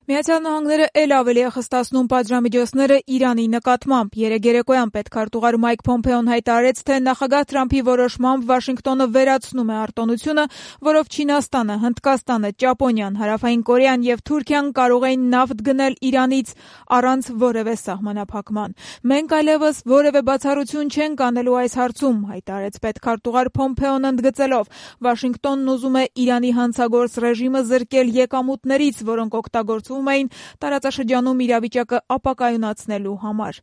Միացյալ Նահանգները էլ ավելի է խստացնում պատժամիջոցները Իրանի նկատմամբ։ Երեկ երեկոյան պետքարտուղար Մայք Փոմփեոն հայտարարեց, թե նախագահ Թրամփի որոշմամբ Վաշինգտոնը վերացնում է արտոնությունը, որով Չինաստանը, Հնդկաստանը, Ճապոնիան, Հարավային Կորեան և Թուրքիան կարող էին նավթ գնել Իրանից առանց որևէ սահմանափակման։ Մենք այլևս որևէ բացառություն չենք անելու այս հարցում, հայտարարեց պետքարտուղար Փոմփեոն ընդգծելով. Վաշինգտոնն ուզում է Իրանի հանցագործ ռեժիմը զրկել եկամուտներից, որոնք օգտագործվում էին տարածաշրջանում իրավիճակը ապակայունացնելու համար։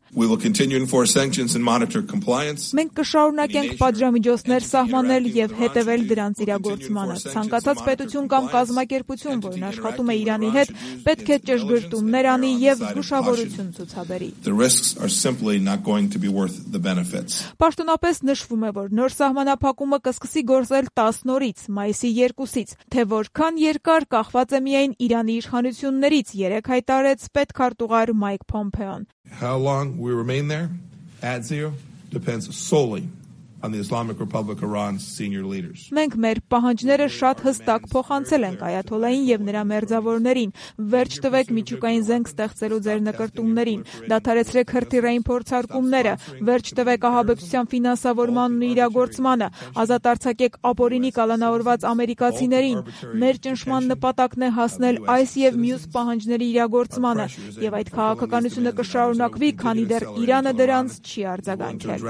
Մենք կշարունակենք պատժամիջոցներ սահմանել և հետևել դրանց իրագործմանը։ Ցանկացած պետություն կամ կազմակերպություն, որն աշխատում է Իրանի հետ, պետք է ճշգրտումներ անի և զգուշավորություն ցուցաբերի։ Պաշտոնապես նշվում է, որ նոր սահմանափակումը կսկսի գործել 10 օրից, մայիսի 2-ից, թե որքան երկար կախված է միայն Իրանի իշխանություններից, երեկ հայտարարեց պետքարտուղար Մայք Փոմփեոն։ How long we remain there at zero depends solely on the Islamic Republic of Iran's senior leaders. Մենք մեր պահանջները շատ հստակ փոխանցել ենք այաթոլլային եւ նրա մերձավորներին։ Վերջ տվեք միջուկային զենք ստեղծելու ձեր նկրտումներին, դադարեցրեք հրթիռային փորձարկումները, վերջ տվեք ահաբեկչության ֆինանսավորմանն ու իրագործմանը, ազատ արձակեք ապօրինի կալանավորված ամերիկացիներին։ Մեր ճնշման նպատակն է հասնել այս եւ մյուս պահանջների իրագործմանը, եւ այդ քաղաքականությունը կշարունակվի, քանի դեռ Իրանը դրանց չի արձագանքել։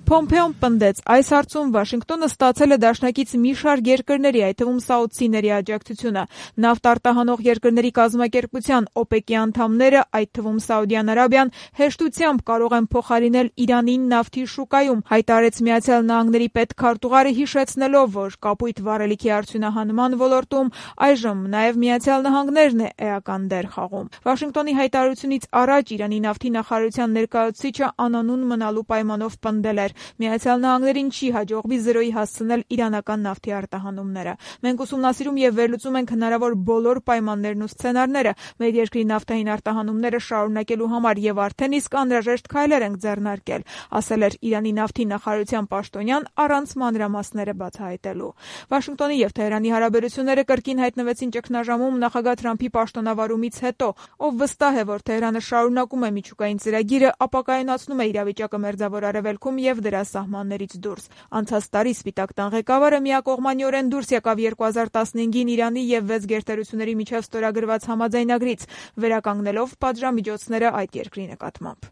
Փոմփեոն պնդեց, այս հարցում Վաշինգտոնը ստացել է դաշնակից մի շարք երկրների, այդ թվում սաուդցիների աջակցությունը։ Նավթ արտահանող երկրների կազմակերպության OPEC-ի անդամները, այդ թվում Սաուդյան Արաբիան, հեշտությամբ կարող են փոխարինել Իրանին նավթի շուկայում, հայտարարեց Միացյալ Նահանգների պետքարտուղարը, հիշեցնելով, որ կապույտ վառելիքի արդյունահանման ոլորտում այժմ նաև Միացյալ Նահանգներն է էական դեր խաղում։ Վաշինգտոնի հայտարարությունից առաջ Իրանի նավթի նախարարության ներկայացուցիչը անանուն մնալու պայմանով պնդել էր. Միացյալ Նահանգներին չի հաջողվի զրոյի հասցնել իրանական նավթի արտահանումները։ Մենք ուսումնասիրում եւ վերլուծում ենք հնարավոր բոլոր պայմաններն ու սցենարները մեր երկրի նավթային արտահանումները շարունակելու համար եւ արդեն իսկ անհրաժեշտ քայլեր ենք ձեռնարկել, ասել էր Իրանի նավթի նախարարության պաշտոնյան առանց մանրամասները բացահայտելու։ Վաշինգտոնի եւ Թեհրանի հարաբերությունները կրկին հայտնվեցին ճգնաժամում նախագահ Թրամփի պաշտոնավարումից հետո, ով վստահ է, որ Թեհրանը շարունակում է միջուկային ծրագիրը, ապակայունացնում է իրավիճակը Մերձավոր Արևելքում եւ դրա սահմաններից դուրս։ Անցած տարի Սպիտակ տան ղեկավարը միակողմանիորեն դուրս եկավ 2015-ին Իրանի եւ 6 գերտերությունների միջև ստորագրված համաձայնագրից, վերականգնելով պատժամիջոցները այդ երկրի նկատմամբ։